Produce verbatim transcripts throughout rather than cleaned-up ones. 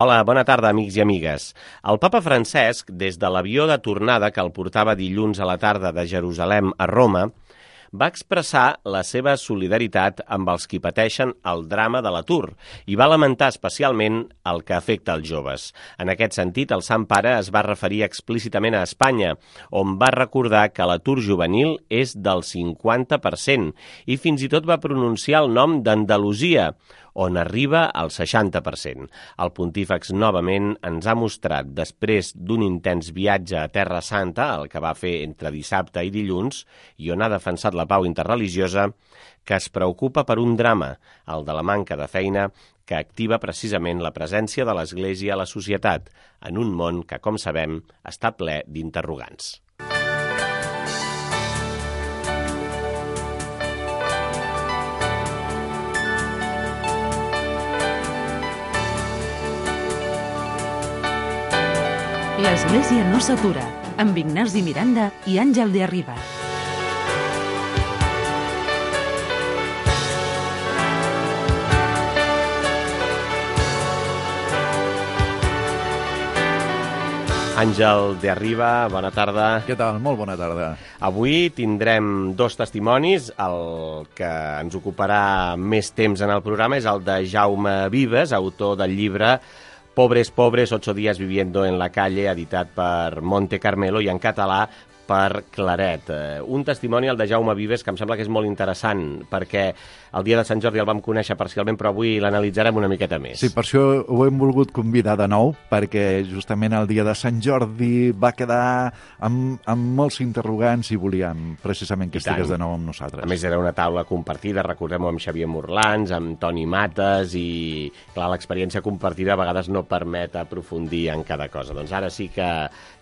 Hola, bona tarda, amics i amigues. El papa Francesc, des de l'avió de tornada que el portava dilluns a la tarda de Jerusalem a Roma, va expressar la seva solidaritat amb els qui pateixen el drama de l'atur i va lamentar especialment el que afecta els joves. En aquest sentit, el Sant Pare es va referir explícitament a Espanya, on va recordar que l'atur juvenil és del cinquanta per cent i fins i tot va pronunciar el nom d'Andalusia, on arriba al seixanta per cent. El pontífex novament ens ha mostrat, després d'un intens viatge a Terra Santa, el que va fer entre dissabte i dilluns, i on ha defensat la pau interreligiosa, que es preocupa per un drama, el de la manca de feina, que activa precisament la presència de l'Església a la societat, en un món que, com sabem, està ple d'interrogants. L'Església no s'atura, amb Ignasi Miranda i Àngel de Arriba. Àngel de Arriba, bona tarda. Què tal? Molt bona tarda. Avui tindrem dos testimonis. El que ens ocuparà més temps en el programa és el de Jaume Vives, autor del llibre Pobres, pobres, ocho días viviendo en la calle, editat per Monte Carmelo i en català per Claret. Un testimoni, el de Jaume Vives, que em sembla que és molt interessant, perquè el dia de Sant Jordi el vam conèixer parcialment, però avui l'analitzarem una miqueta més. Sí, per això ho hem volgut convidar de nou, perquè justament el dia de Sant Jordi va quedar amb, amb molts interrogants i volíem precisament que estigués de nou amb nosaltres. A més, era una taula compartida, recordem-ho, amb Xavier Morlans, amb Toni Mates, i clar, l'experiència compartida a vegades no permet aprofundir en cada cosa. Doncs ara sí que,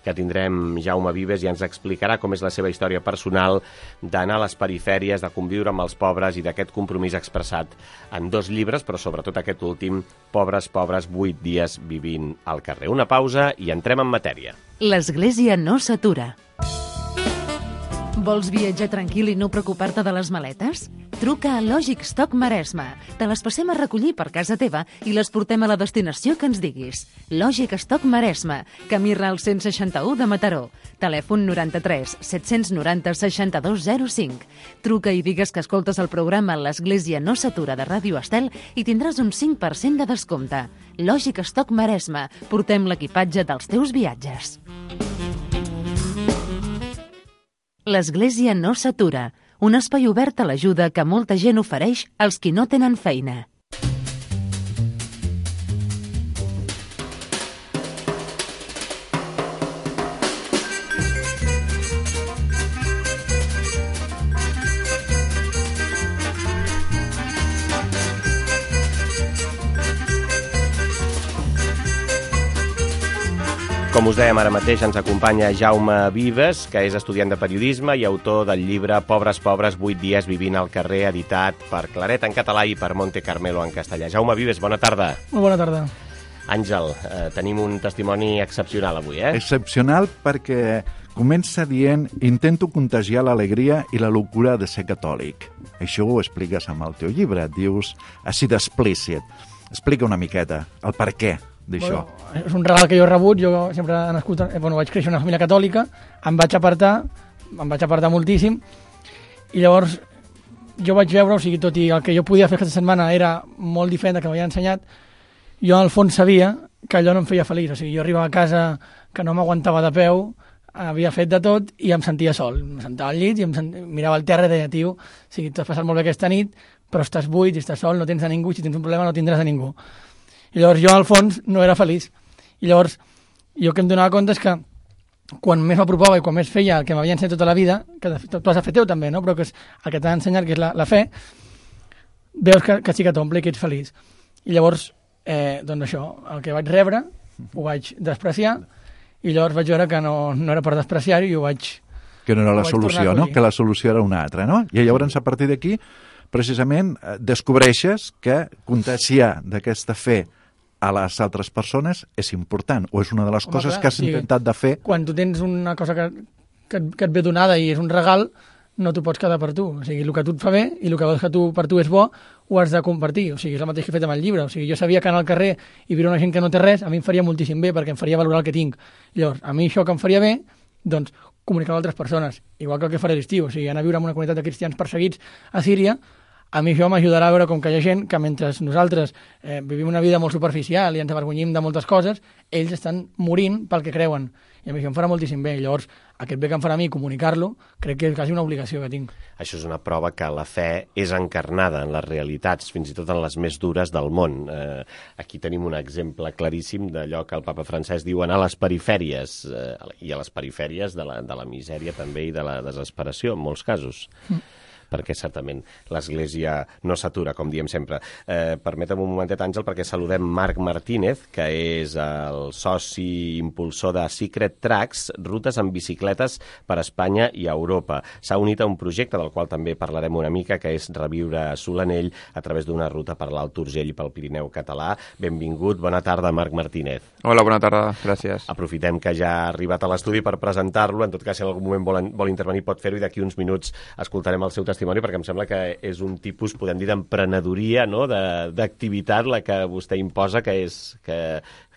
que tindrem Jaume Vives i ens explicarà com és la seva història personal d'anar a les perifèries, de conviure amb els pobres i d'aquest compromís expressat en dos llibres, però sobretot aquest últim, Pobres, pobres, vuit dies vivint al carrer. Una pausa i entrem en matèria. L'Església no s'atura. Vols viatjar tranquil i no preocupar-te de les maletes? Truca a Lògic Stock Maresme. Te les passem a recollir per casa teva i les portem a la destinació que ens diguis. Lògic Stock Maresme, camí Ral cent seixanta-u de Mataró. Telèfon noranta-tres set-cents noranta seixanta-dos zero cinc. Truca i digues que escoltes el programa L'Església no s'atura de Ràdio Estel i tindràs un cinc per cent de descompte. Lògic Stock Maresme. Portem l'equipatge dels teus viatges. L'Església no s'atura, un espai obert a l'ajuda que molta gent ofereix als qui no tenen feina. Com us dèiem, ara mateix ens acompanya Jaume Vives, que és estudiant de periodisme i autor del llibre Pobres, pobres, vuit dies vivint al carrer, editat per Claret en català i per Monte Carmelo en castellà. Jaume Vives, bona tarda. Molt bona tarda. Àngel, eh, tenim un testimoni excepcional avui, eh? Excepcional perquè comença dient intento contagiar l'alegria i la locura de ser catòlic. Això ho expliques amb el teu llibre, dius així d'explícit. Explica una miqueta el per què d'això. Bueno, és un regal que jo he rebut, jo sempre he nascut, eh, bueno, vaig créixer en una família catòlica, em vaig apartar, em vaig apartar moltíssim, i llavors jo vaig veure, o sigui, tot i el que jo podia fer aquesta setmana era molt diferent del que m'havia ensenyat, jo al fons sabia que allò no em feia feliç, o sigui, jo arribava a casa que no m'aguantava de peu, havia fet de tot i em sentia sol, em sentava al llit i em sent... mirava el terra i deia, tio, o sigui, t'has passat molt bé aquesta nit, però estàs buit i estàs sol, no tens a ningú, si tens un problema no tindràs a ningú. I llavors jo, al fons, no era feliç. I llavors, jo que em donava compte és que quan més m'apropava i quan més feia el que m'havia ensenyat tota la vida, que tu has de fer teu també, no? Però que és el que t'ha ensenyat, que és la, la fe, veus que, que sí que t'omple i que ets feliç. I llavors, eh, doncs això, el que vaig rebre, ho vaig despreciar, i llavors vaig veure que no, no era per despreciar-ho i ho vaig... Que no era la solució, no? Que la solució era una altra, no? I llavors, a partir d'aquí, precisament, descobreixes que contagiar d'aquesta fe a les altres persones és important, o és una de les Home, coses clar, que has sí, intentat de fer. Quan tu tens una cosa que, que, que et ve donada i és un regal, no t'ho pots quedar per tu. O sigui, el que a tu et fa bé i el que veus que tu, per tu és bo, ho has de compartir. O sigui, és el mateix que he fet amb el llibre. O sigui, jo sabia que anar al carrer i veure una gent que no té res, a mi em faria moltíssim bé, perquè em faria valorar el que tinc. Llavors, a mi això que em faria bé, doncs, comunicar amb altres persones. Igual que el que faré l'estiu. O sigui, anar a viure en una comunitat de cristians perseguits a Síria, a mi això m'ajudarà a veure com que hi ha gent que mentre nosaltres eh, vivim una vida molt superficial i ens avergonyim de moltes coses, ells estan morint pel que creuen. I a mi això em farà moltíssim bé. I llavors, aquest bé que em farà a mi comunicar-lo, crec que és quasi una obligació que tinc. Això és una prova que la fe és encarnada en les realitats, fins i tot en les més dures del món. Eh, aquí tenim un exemple claríssim d'allò que el papa Francesc diu anar a les perifèries, eh, i a les perifèries de la, de la misèria també i de la desesperació, en molts casos. Mm. Perquè certament l'Església no s'atura, com diem sempre. Eh, permetem un momentet, Àngel, perquè saludem Marc Martínez, que és el soci impulsor de Secret Tracks, rutes amb bicicletes per Espanya i Europa. S'ha unit a un projecte del qual també parlarem una mica, que és reviure Solanell a través d'una ruta per l'Alt Urgell i pel Pirineu català. Benvingut, bona tarda, Marc Martínez. Hola, bona tarda, gràcies. Aprofitem que ja ha arribat a l'estudi per presentar-lo. En tot cas, si en algun moment vol, vol intervenir, pot fer-ho, i d'aquí uns minuts escoltarem el seu testimoni, perquè em sembla que és un tipus, podem dir, d'emprenedoria, no? d'activitat la que vostè imposa, que és que,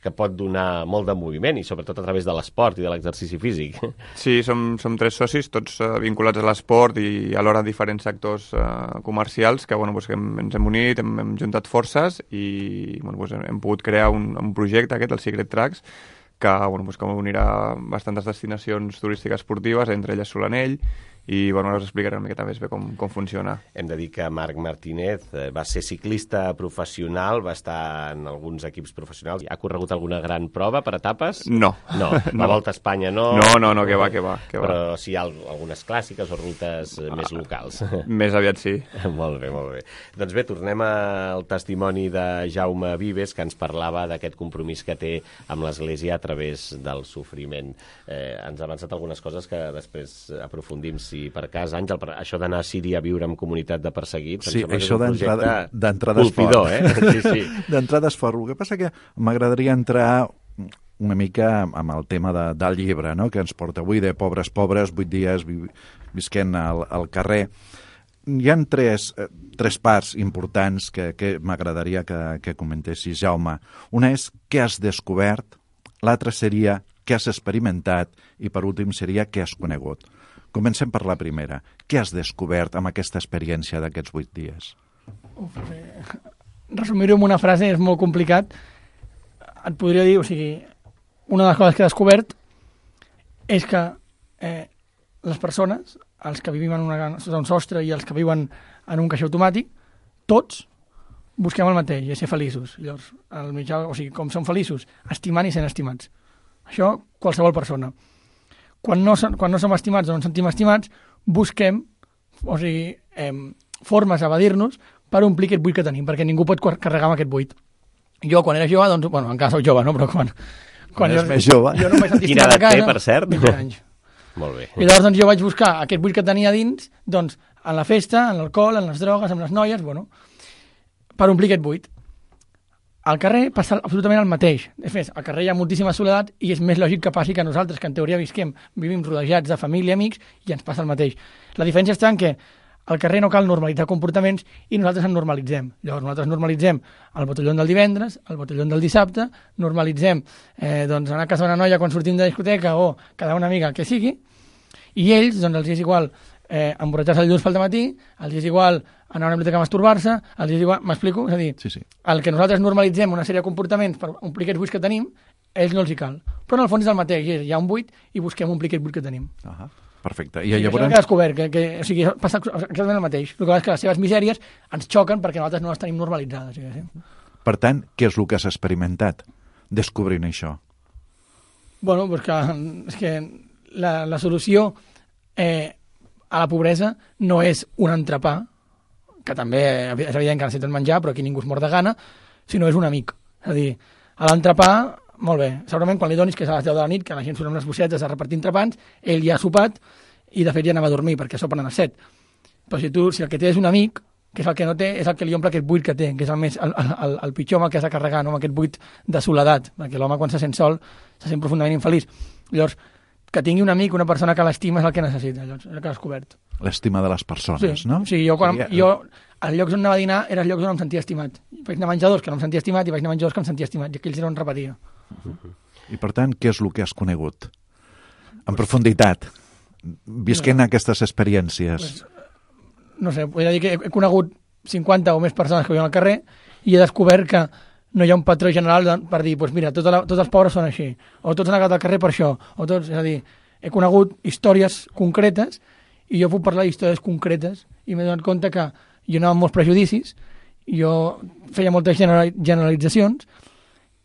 que pot donar molt de moviment, i sobretot a través de l'esport i de l'exercici físic. Sí, som, som tres socis, tots uh, vinculats a l'esport i alhora a diferents sectors uh, comercials, que, bueno, pues, que hem, ens hem unit, hem, hem juntat forces i bueno, pues, hem pogut crear un, un projecte, aquest, el Secret Tracks, que, bueno, pues, que unirà bastantes destinacions turístiques esportives, entre elles Solanell, i bueno, us explicaré una miqueta més bé com, com funciona. Hem de dir que Marc Martínez va ser ciclista professional, va estar en alguns equips professionals. Ha corregut alguna gran prova per etapes? No. No, la no. Volta a Espanya no? No, no, no, que va, que va. Que va. Però sí hi ha algunes clàssiques o rutes ah, més locals. Més aviat sí. Molt bé, molt bé. Doncs bé, tornem al testimoni de Jaume Vives, que ens parlava d'aquest compromís que té amb l'Església a través del sofriment. Eh, ens ha avançat algunes coses que després aprofundim, si per cas, Àngel, per això d'anar a Síria a viure en comunitat de perseguits, sí, em això d'entrada és fort. Eh? Sí, sí. D'entrada és fort. El que passa que m'agradaria entrar una mica amb el tema de, del llibre, no? Que ens porta avui, de Pobres Pobres, vuit dies vi, visquent al, al carrer. Hi ha tres, tres parts importants que, que m'agradaria que, que comentessis, Jaume. Una és què has descobert, l'altra seria què has experimentat i per últim seria què has conegut. Comencem per la primera. Què has descobert amb aquesta experiència d'aquests vuit dies? Uf, eh, resumir-ho en una frase és molt complicat. Et podria dir, o sigui, una de les coses que he descobert és que eh, les persones, els que vivim en una, sota un sostre i els que viuen en un caixer automàtic, tots busquem el mateix, i ser feliços. Llavors, el mitjà, o sigui, com som feliços? Estimant i sent estimats. Això, qualsevol persona. Quan no, quan no som estimats o no ens sentim estimats, busquem, o sigui, eh, formes a evadir-nos per omplir aquest buit que tenim, perquè ningú pot carregar amb aquest buit. Jo, quan era jove, doncs, bueno, encara soc jove, no? Però quan... Quan és més jove. Jo no em vaig sentir estimat a casa. Quina edat té, per cert? vint anys. Molt bé. I llavors, doncs, jo vaig buscar aquest buit que tenia dins, doncs, en la festa, en l'alcohol, en les drogues, en les noies, bueno, per omplir aquest buit. Al carrer passa absolutament el mateix. De fet, al carrer hi ha moltíssima soledat i és més lògic que passi que nosaltres, que en teoria visquem, vivim rodejats de família, amics, i ens passa el mateix. La diferència està en què al carrer no cal normalitzar comportaments i nosaltres en normalitzem. Llavors nosaltres normalitzem el botelló del divendres, el botelló del dissabte, normalitzem eh, doncs, anar a casa d'una noia quan sortim de discoteca o quedar una amiga, el que sigui, i ells, doncs, els és igual eh, emborratxar-se el dilluns pel matí, els és igual anar a una biblioteca a masturbar-se, els és igual... M'explico? És a dir, sí, sí. El que nosaltres normalitzem una sèrie de comportaments per omplir aquests buits que tenim, a ells no els hi cal. Però en el fons és el mateix, és, hi ha un buit i busquem omplir aquest buit que tenim. Uh -huh. Perfecte. I, I llavors... això que he descobert, que, que, o sigui, passa exactament el mateix. El que és que les seves misèries ens xoquen perquè nosaltres no les tenim normalitzades. Sí, sí. Per tant, què és el que has experimentat descobrint això? Bueno, pues que, és que la, la solució eh, a la pobresa no és un entrepà, que també és evident que necessiten menjar, però aquí ningú es mor de gana, sinó és un amic. És a dir, a l'entrepà, molt bé, segurament quan li donis, que és a les deu de la nit, que la gent surt amb les bossetes a repartir entrepans, ell ja ha sopat i de fet ja anava a dormir, perquè sopen a les set. Però si tu, si el que té és un amic, que és el que no té, és el que li omple aquest buit que té, que és el, més, el, el, el pitjor amb el que has de carregar, no? Amb aquest buit de soledat, perquè l'home quan se sent sol se sent profundament infeliç. Llavors, que tingui un amic, una persona que l'estima és el que necessita, allò, és el que has descobert. L'estima de les persones, sí, no? Sí, jo, quan, Seria... jo als llocs on anava a dinar eren els llocs on em sentia estimat. Vaig anar a menjadors que no em sentia estimat i vaig anar a menjadors que em sentia estimat, i aquells era on repetia. I per tant, què és el que has conegut? En profunditat, visquent no. aquestes experiències. Pues, no sé, podria dir que he, he conegut cinquanta o més persones que viuen al carrer i he descobert que no hi ha un patró general de, per dir, pues mira, tota la, tots els pobres són així, o tots han acabat al carrer per això, o tots, és a dir, he conegut històries concretes i jo puc parlar d'històries concretes i m'he donat compte que jo anava amb molts prejudicis, jo feia moltes generalitzacions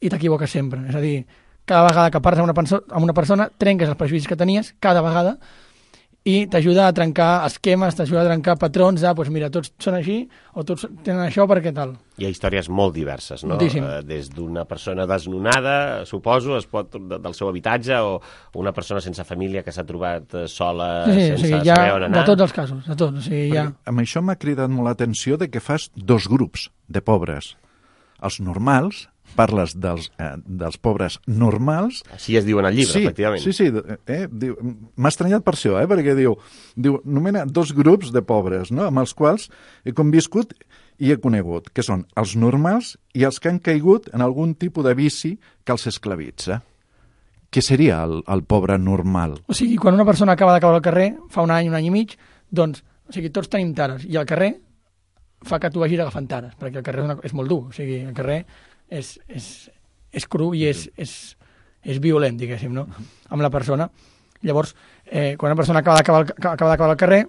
i t'equivoques sempre. És a dir, cada vegada que parles amb una, perso amb una persona trenques els prejudicis que tenies, cada vegada, i t'ajuda a trencar esquemes, t'ajuda a trencar patrons de, doncs mira, tots són així o tots tenen això perquè tal. Hi ha històries molt diverses, no? Moltíssim. Des d'una persona desnonada, suposo, es pot, del seu habitatge, o una persona sense família que s'ha trobat sola, sí, sí, sense o sigui, saber on anar. De tots els casos, de tots. O sigui, ja... Amb això m'ha cridat molt l'atenció de que fas dos grups de pobres. Els normals, parles dels, eh, dels pobres normals... Així es diu en el llibre, sí, efectivament. Sí, sí, eh, diu, m'ha estranyat per això, eh, perquè diu, diu, nomena dos grups de pobres, no?, amb els quals he conviscut i he conegut, que són els normals i els que han caigut en algun tipus de vici que els esclavitza. Què seria el, el pobre normal? O sigui, quan una persona acaba de caure al carrer, fa un any, un any i mig, doncs, o sigui, tots tenim tares, i el carrer fa que tu vagis agafant tares, perquè el carrer és, una, és molt dur, o sigui, el carrer és, és, és cru i és, és, és violent, diguéssim, no?, amb la persona. Llavors, eh, quan una persona acaba d'acabar acaba d'acabar al carrer,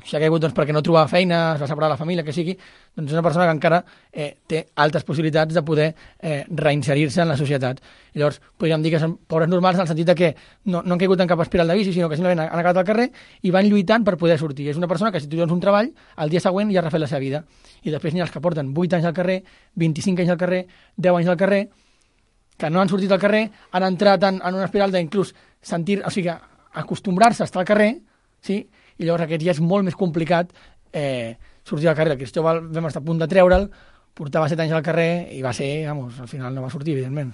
si ha caigut doncs, perquè no trobava feina, es va separar de la família, que sigui, doncs és una persona que encara eh, té altes possibilitats de poder eh, reinserir-se en la societat. I llavors, podríem dir que són pobres normals en el sentit de que no, no han caigut en cap espiral de vici, sinó que simplement han acabat al carrer i van lluitant per poder sortir. És una persona que si tu dones un treball, el dia següent ja ha refet la seva vida. I després n'hi ha els que porten vuit anys al carrer, vint-i-cinc anys al carrer, deu anys al carrer, que no han sortit al carrer, han entrat en, en una espiral d'inclús sentir, o sigui, acostumbrar-se a estar al carrer, sí?, i llavors aquest ja és molt més complicat eh, sortir al carrer. El Cristóbal vam estar a punt de treure'l, portava set anys al carrer i va ser, vamos, al final no va sortir, evidentment.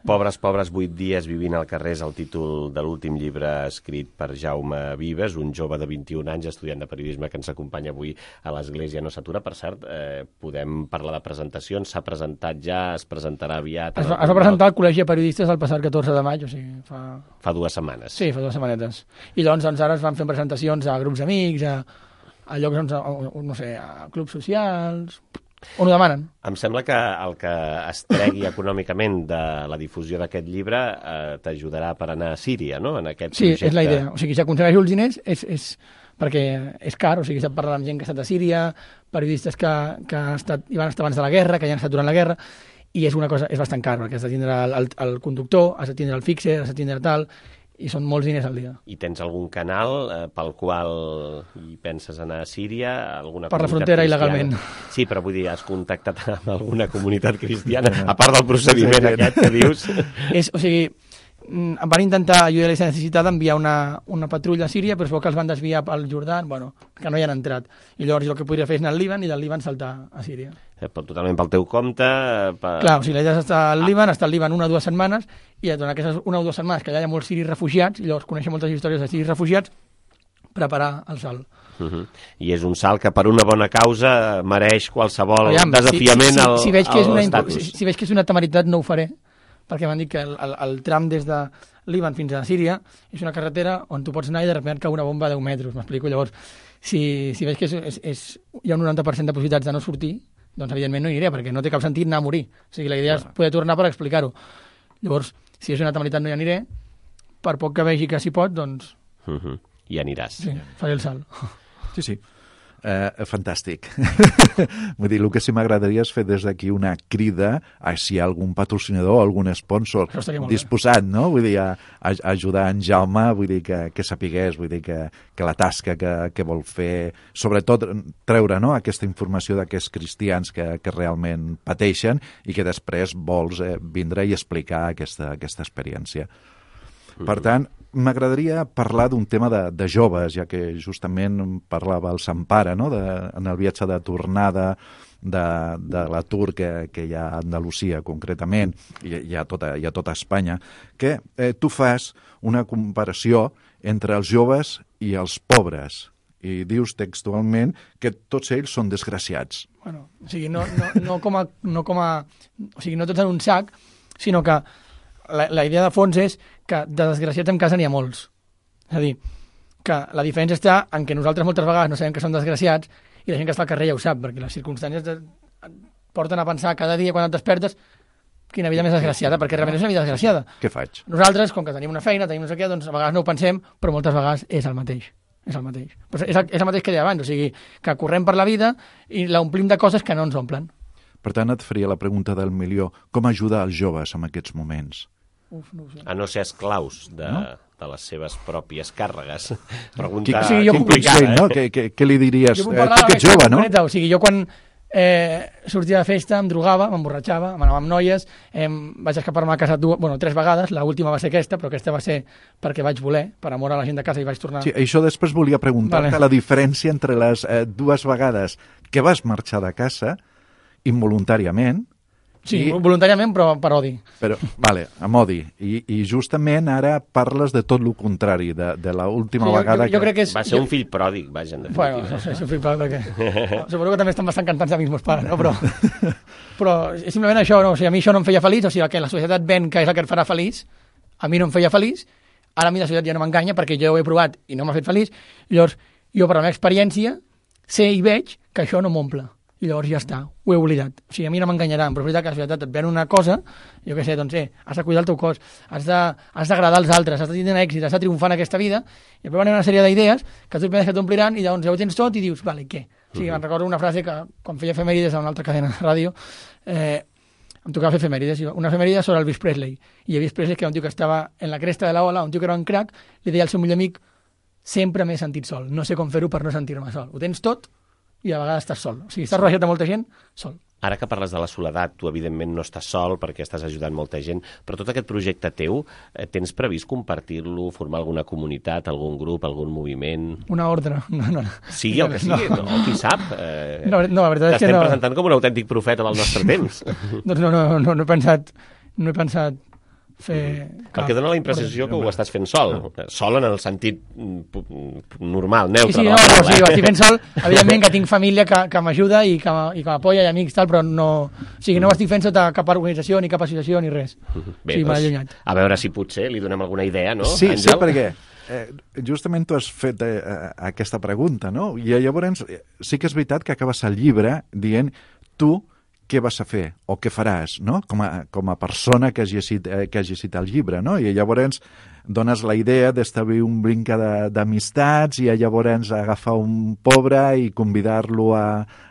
Pobres, pobres, vuit dies vivint al carrer és el títol de l'últim llibre escrit per Jaume Vives, un jove de vint-i-un anys, estudiant de periodisme que ens acompanya avui a l'Església No s'atura. Per cert, eh, podem parlar de presentacions, s'ha presentat ja, es presentarà aviat... Es va, es va presentar al Col·legi de Periodistes el passat catorze de maig, o sigui, fa... Fa dues setmanes. Sí, fa dues setmanetes. I doncs, doncs ara es van fent presentacions a grups d'amics, a, a llocs, doncs, a, no sé, a clubs socials... On ho demanen? Em sembla que el que es tregui econòmicament de la difusió d'aquest llibre eh, t'ajudarà per anar a Síria, no?, en aquest sí, projecte. És la idea. O sigui, si aconsegueixo els diners és, és perquè és car, o sigui, s'ha parlat amb gent que ha estat a Síria, periodistes que, que han estat, hi van estar abans de la guerra, que ja han estat durant la guerra, i és una cosa, és bastant car, perquè has de tindre el, el, el conductor, has de tindre el fixer, has de tindre tal, i són molts diners al dia. I tens algun canal eh, pel qual hi penses anar a Síria? Alguna per la frontera, cristiana? Il·legalment. Sí, però vull dir, has contactat amb alguna comunitat cristiana, a part del procediment aquest que dius? És, o sigui, em van intentar, jo ja les he necessitat enviar una, una patrulla a Síria, però es veu que els van desviar al Jordà, bueno, que no hi han entrat. I llavors el que podria fer és anar al Líban i del Líban saltar a Síria. Totalment pel teu compte. Per... Clar, o sigui, la idea és estar al Líban, estar al Líban una o dues setmanes, i durant aquestes una o dues setmanes que allà hi ha molts siris refugiats, i llavors conèixer moltes històries de siris refugiats, preparar el salt. Uh -huh. I és un salt que per una bona causa mereix qualsevol Aviam, desafiament si, si, al, si, veig que és una, estatus. Si, si veig que és una temeritat no ho faré, perquè m'han dit que el, el, el tram des de Líban fins a Síria és una carretera on tu pots anar i de sobte cau una bomba a deu metres, m'explico. Llavors, si, si veig que és, és, és, hi ha un noranta per cent de possibilitats de no sortir, doncs evidentment no hi aniré, perquè no té cap sentit anar a morir. O sigui, la idea és poder tornar per explicar-ho. Llavors, si és una temeritat no hi aniré, per poc que vegi que s'hi pot, doncs... Uh -huh. I aniràs. Sí, faré el salt. Sí, sí. Uh, fantàstic. Vull dir, el que sí m'agradaria és fer des d'aquí una crida a si hi ha algun patrocinador, algun sponsor disposat, no? Vull dir, a, a ajudar en Jaume, vull dir, que, que sapigués, vull dir, que, que la tasca que, que vol fer, sobretot treure, no?, aquesta informació d'aquests cristians que, que realment pateixen i que després vols eh, vindre i explicar aquesta, aquesta experiència. Per tant, m'agradaria parlar d'un tema de, de joves, ja que justament parlava el Sant Pare, no?, de, en el viatge de tornada, de, de l'atur que, que hi ha a Andalusia concretament, i hi ha tota, hi ha tota Espanya, que eh, tu fas una comparació entre els joves i els pobres, i dius textualment que tots ells són desgraciats. Bueno, o sigui, no, no, no, com a, no com a... O sigui, no tots en un sac, sinó que la, la idea de fons és que de desgraciats en casa n'hi ha molts. És a dir, que la diferència està en que nosaltres moltes vegades no sabem que som desgraciats i la gent que està al carrer ja ho sap, perquè les circumstàncies de, porten a pensar cada dia quan et despertes quina vida més desgraciada, perquè realment és una vida desgraciada. Què faig? Nosaltres, com que tenim una feina, tenim no sé què, doncs a vegades no ho pensem, però moltes vegades és el mateix. És el mateix. Però és el, és el mateix que deia abans, o sigui, que correm per la vida i l'omplim de coses que no ens omplen. Per tant, et faria la pregunta del milió. Com ajudar els joves en aquests moments? Uf, no ho sé. A no ser esclaus de, no? de les seves pròpies càrregues. Pregunta Qui- o sigui, jo- complicada, Sí, no? eh? Què, què, què li diries? Jo puc Eh, parlar tu que ets jove, no? concreta, o sigui, jo quan eh, sortia de festa em drogava, m'emborratxava, m'anava amb noies, eh, vaig escapar-me a casa dues, bueno, tres vegades, l'última va ser aquesta, però aquesta va ser perquè vaig voler, per amor a la gent de casa i vaig tornar... Sí, això després volia preguntar-te Vale. la diferència entre les eh, dues vegades que vas marxar de casa involuntàriament, Sí, I- voluntàriament, però per odi. però, vale, amb odi, i, i justament ara parles de tot el contrari, de, de l'última Sí, jo- vegada jo, jo crec que és... Va ser jo, un fill pròdig, vaja, en Bueno, definitiva. no sé, és un fill pròdig, perquè... Suposo que també estan bastant cansats de mi, els meus pares, no? Però, però és simplement això, no? O sigui, a mi això no em feia feliç, o sigui, el que la societat ven que és el que et farà feliç, a mi no em feia feliç, ara a mi la societat ja no m'enganya perquè jo ho he provat i no m'ha fet feliç, llavors jo per la meva experiència sé i veig que això no m'omple. I llavors ja està, ho he oblidat. O sigui, a mi no m'enganyaran, però és veritat que la societat et ven una cosa, jo què sé, doncs, eh, has de cuidar el teu cos, has de- has d'agradar als altres, has de tenir èxit, has de triomfar en aquesta vida, i després van una sèrie d'idees que tu penses que t'ompliran i llavors ja ho tens tot i dius, vale, què? O sigui, em recordo una frase que quan feia efemèrides a una altra cadena de ràdio, eh, em tocava fer efemèrides, i una efemèride sobre el Elvis Presley. I Elvis Presley, que era un tio que estava en la cresta de la ola, un tio que era un crac, li deia al seu millor amic, sempre m'he sentit sol, no sé com fer-ho per no sentir-me sol. Ho tens tot i a vegades estàs sol. O sigui, estàs rodejat de molta gent, sol. Ara que parles de la soledat, tu evidentment no estàs sol perquè estàs ajudant molta gent, però tot aquest projecte teu, eh, tens previst compartir-lo, formar alguna comunitat, algun grup, algun moviment? Una ordre. No, no, no. Sigui el que sigui, no, no qui sap. Eh, No, no, la veritat és que T'estem no. presentant com un autèntic profeta del nostre temps. Doncs no, no, no, no he pensat, no he pensat fer... Perquè dona la impressió que ho estàs fent sol. Sol en el sentit mm, pu- normal, neutre. Sí, sí, de no, la no, paraula, sí, eh? ho estic fent sol, evidentment que tinc família que, que m'ajuda i que, m- i que m'apoya i amics tal, però no, o sigui, no ho estic fent sota cap organització, ni cap associació, ni res. Bé, sí, m'ha doncs, allunyat. a veure si potser li donem alguna idea, no, Sí, sí, Àngel? perquè eh, justament tu has fet eh, aquesta pregunta, no? I llavors eh, sí que és veritat que acabes el llibre dient tu què vas a fer o què faràs, no? Com a, com a persona que has llegit, eh, que has llegit el llibre, no? I llavors dones la idea d'establir un brinca de- d'amistats i llavors agafar un pobre i convidar-lo a,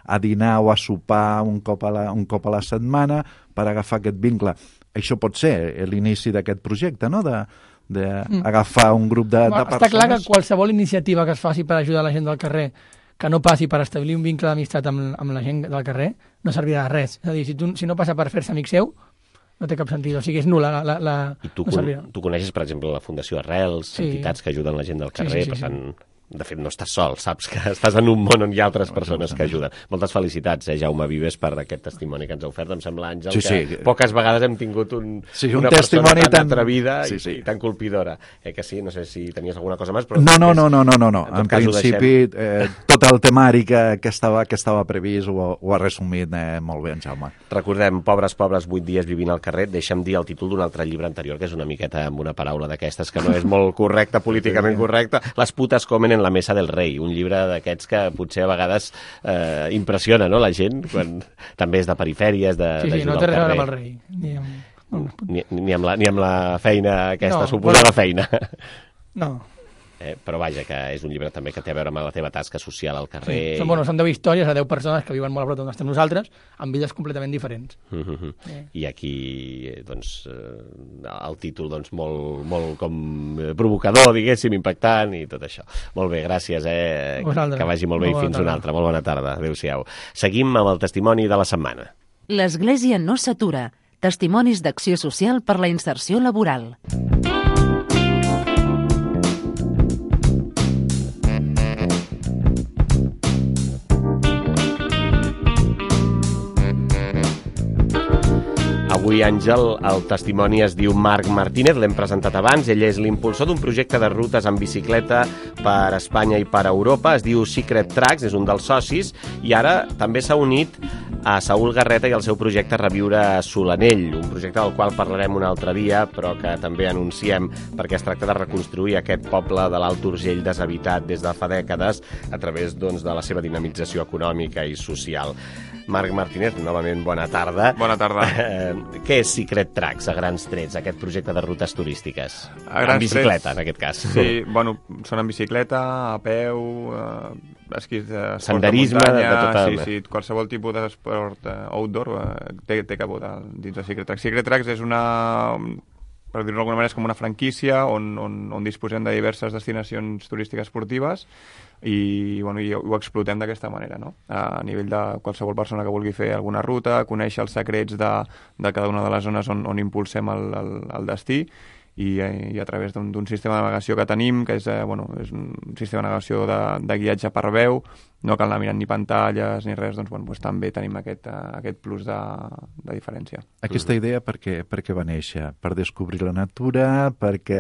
a dinar o a sopar un cop a la, un cop a la setmana per agafar aquest vincle. Això pot ser l'inici d'aquest projecte, no? De, d'agafar un grup de, de Està persones. clar que qualsevol iniciativa que es faci per ajudar la gent del carrer que no passi per establir un vincle d'amistat amb, amb la gent del carrer, no servirà de res. És a dir, si, tu, si no passa per fer-se amic seu, no té cap sentit. O sigui, és nul·la. La, la, la, I tu, no con servirà. tu coneixes, per exemple, la Fundació Arrels, Sí. entitats que ajuden la gent del Sí, carrer, sí, sí, per sí. tant, de fet, no estàs sol, saps que estàs en un món on hi ha altres persones que ajuden. Moltes felicitats, eh, Jaume Vives, per aquest testimoni que ens ha ofert. Em sembla, Àngel, Sí, que sí. poques vegades hem tingut un, Sí, un una testimoni persona tan, tan- atrevida sí, i, sí. i tan colpidora. Eh, que sí, no sé si tenies alguna cosa més, però... No, no, no, no, no, no, no. En tot En cas, ho principi, eh, tot el temari que, que, estava, que estava previst ho, ho ha resumit eh, molt bé en Jaume. Recordem, Pobres, pobres, vuit dies vivint al carrer. Deixa'm dir el títol d'un altre llibre anterior, que és una miqueta amb una paraula d'aquestes que no és molt correcta, políticament correcta. Les putes comen en la mesa del rei. Un llibre d'aquests que potser a vegades eh, impressiona, no?, la gent, quan també és de perifèries, de, Sí, sí, d'ajuda no té al res a veure carrer. amb el rei. Ni amb... Ni, ni, amb la, ni amb la feina, aquesta No, suposada bueno. feina. No. Eh, però vaja, que és un llibre també que té a veure amb la teva tasca social al Sí. carrer. Són, bueno, són deu històries de deu persones que viuen molt a prop d'on estem nosaltres, amb vides completament diferents. Mhm. Sí. I aquí, eh, doncs, eh, el títol, doncs, molt, molt com eh, provocador, diguéssim, impactant i tot això. Molt bé, gràcies, eh? Vosaltres. Que vagi molt bé Molt i bona fins una tarda. altra. Molt bona tarda. Adéu-siau. Seguim amb el testimoni de la setmana. L'Església no s'atura. Testimonis d'acció social per la inserció laboral. Avui, Àngel, el testimoni es diu Marc Martínez, l'hem presentat abans. Ell és l'impulsor d'un projecte de rutes en bicicleta per Espanya i per Europa. Es diu Secret Tracks, és un dels socis, i ara també s'ha unit a Saúl Garreta i el seu projecte Reviure Solanell, un projecte del qual parlarem un altre dia, però que també anunciem perquè es tracta de reconstruir aquest poble de l'Alt Urgell deshabitat des de fa dècades a través doncs, de la seva dinamització econòmica i social. Marc Martínez, novament bona tarda. Bona tarda. Eh, què és Secret Tracks, a grans trets, aquest projecte de rutes turístiques? A grans en bicicleta, trets, en aquest cas. Sí, bueno, són en bicicleta, a peu, eh, esquís de senderisme, de muntanya, de tota... sí, sí, qualsevol tipus d'esport eh, outdoor eh, té, té cabut dins de Secret Tracks. Secret Tracks és una, per dir-ho d'alguna manera, és com una franquícia on, on, on disposem de diverses destinacions turístiques esportives i, bueno, i ho explotem d'aquesta manera, no? A nivell de qualsevol persona que vulgui fer alguna ruta, conèixer els secrets de, de cada una de les zones on, on impulsem el, el, el destí i, i a través d'un sistema de navegació que tenim, que és, eh, bueno, és un sistema de navegació de, de guiatge per veu, no cal anar mirant ni pantalles ni res, doncs, bueno, doncs també tenim aquest, uh, aquest plus de, de diferència. Aquesta idea per què, per què va néixer? Per descobrir la natura, perquè...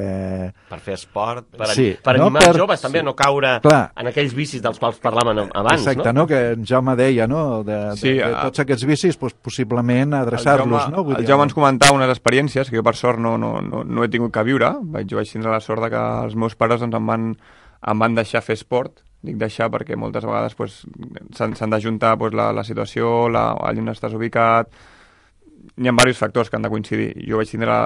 Per fer esport, per, sí, per no, animar per... els joves també sí. a no caure Clar. en aquells vicis dels quals parlàvem abans, Exacte, no? no? Que en Jaume deia, no? De, de, Sí, de tots aquests vicis, doncs, possiblement adreçar-los, no? Vull El dir, Jaume ens comentava unes experiències que jo per sort no, no, no, no he tingut que viure. Vaig, jo vaig tindre la sort de que els meus pares doncs, em, van, em van deixar fer esport. Dic deixar perquè moltes vegades pues, s'han d'ajuntar pues, la, la situació, la, allà on estàs ubicat. Hi ha diversos factors que han de coincidir. Jo vaig tindre,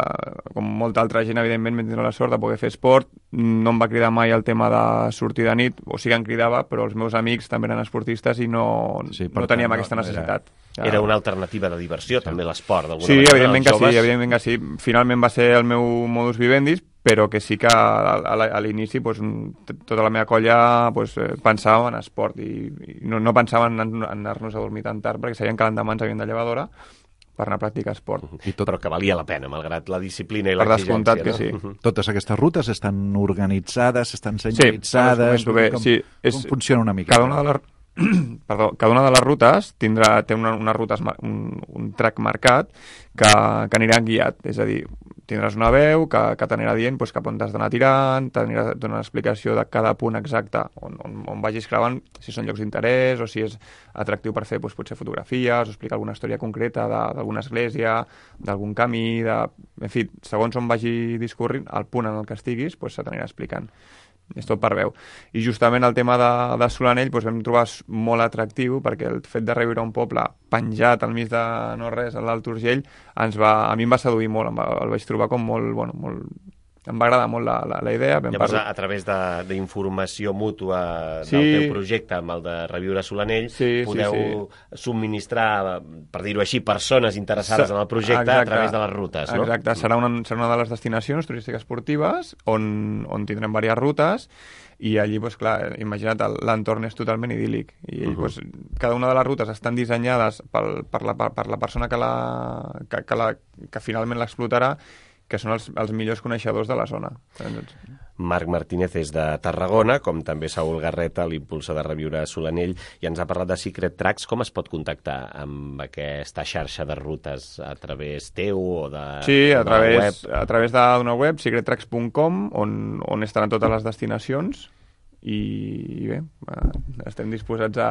com molta altra gent, evidentment, vaig tindre la sort de poder fer esport. No em va cridar mai el tema de sortir de nit, o sigui, em cridava, però els meus amics també eren esportistes i no, sí, no teníem tant, aquesta no, necessitat. Era... era una alternativa de diversió, sí. també l'esport, d'alguna sí, manera. Evidentment que joves... sí, evidentment que sí. Finalment va ser el meu modus vivendi, però que sí que a, a l'inici pues, tota la meva colla pues, pensava en esport i, i no, no pensaven en, en anar-nos a dormir tan tard perquè sabien que l'endemà ens havien de llevar d'hora per anar a practicar esport. I tot... Però que valia la pena, malgrat la disciplina i per l'exigència. Per descomptat que no? sí. Totes aquestes rutes estan organitzades, estan senyalitzades... Sí, bé. Com, Sí, és, com funciona una mica? Cada una de les, perdó, cada una de les rutes tindrà, té una, una ruta, un, un track marcat que, que anirà guiat, és a dir, tindràs una veu que, que t'anirà dient pues, cap on t'has d'anar tirant, t'anirà donant una explicació de cada punt exacte on, on, on vagis creuant, si són llocs d'interès o si és atractiu per fer pues, potser fotografies o explicar alguna història concreta d'alguna església, d'algun camí, de... en fi, segons on vagi discorrint, el punt en el que estiguis pues, se t'anirà explicant. És tot per veu. I justament el tema de, de Solanell doncs vam trobar molt atractiu perquè el fet de reviure un poble penjat al mig de no res, a l'Alt Urgell, ens va, a mi em va seduir molt, em va, el vaig trobar com molt, bueno, molt... Em va agradar molt la, la, la idea. Vam Llavors, parlar... a través d'informació mútua sí. del teu projecte amb el de Reviure Solanell, sí, podeu sí, sí. subministrar, per dir-ho així, persones interessades Sa en el projecte exacte, a través de les rutes, no? Exacte, serà una, serà una de les destinacions turístiques esportives on, on tindrem diverses rutes i allí, pues, clar, imagina't, l'entorn és totalment idíl·lic i uh -huh. pues, cada una de les rutes estan dissenyades pel, per, la, per la persona que, la, que, que, la, que finalment l'explotarà, que són els, els millors coneixedors de la zona. Marc Martínez és de Tarragona, com també Saúl Garreta, l'impulsor de Reviure Solanell, i ens ha parlat de Secret Tracks. Com es pot contactar amb aquesta xarxa de rutes? A través teu o de, sí, a de través, la web? a través d'una web, secret tracks punt com, on, on estaran totes les destinacions i bé, estem disposats a,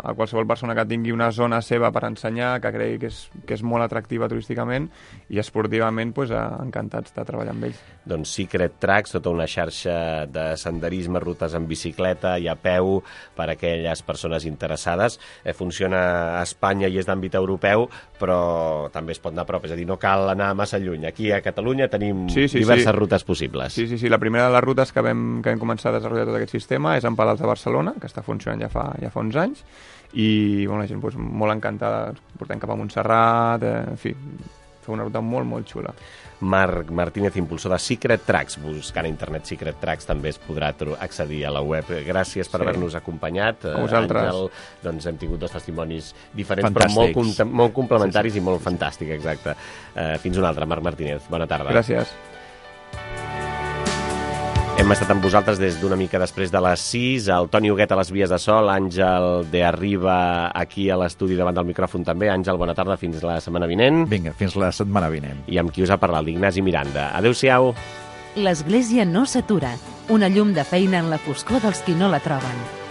a qualsevol persona que tingui una zona seva per ensenyar, que cregui que és, que és molt atractiva turísticament i esportivament pues, encantats de treballar amb ells. Doncs Secret Tracks, tota una xarxa de senderisme, rutes en bicicleta i a peu per a aquelles persones interessades. Eh, funciona a Espanya i és d'àmbit europeu, però també es pot anar a prop, és a dir, no cal anar massa lluny. Aquí a Catalunya tenim sí, sí, diverses sí. rutes possibles. Sí, sí, sí. La primera de les rutes que vam, que vam començar a desenvolupar tot aquest sistema és en Palals de Barcelona, que està funcionant ja fa, ja fa uns anys, i bueno, la gent doncs, molt encantada, portem cap a Montserrat, eh, en fi, fer una ruta molt, molt xula. Marc Martínez, impulsor de Secret Tracks. Buscant a internet Secret Tracks també es podrà accedir a la web. Gràcies per sí. haver-nos acompanyat. A vosaltres. Àngel, doncs hem tingut dos testimonis diferents, fantàstics. però molt, molt complementaris sí, sí. i molt fantàstics, exacte. Uh, fins una altra, Marc Martínez. Bona tarda. Gràcies. Hem estat amb vosaltres des d'una mica després de les sis, el Toni Huguet a les vies de sol, Àngel de Arriba aquí a l'estudi davant del micròfon també. Àngel, bona tarda, fins la setmana vinent. Vinga, fins la setmana vinent. I amb qui us ha parlat, l'Ignasi Miranda. Adéu-siau. L'Església no s'atura. Una llum de feina en la foscor dels qui no la troben.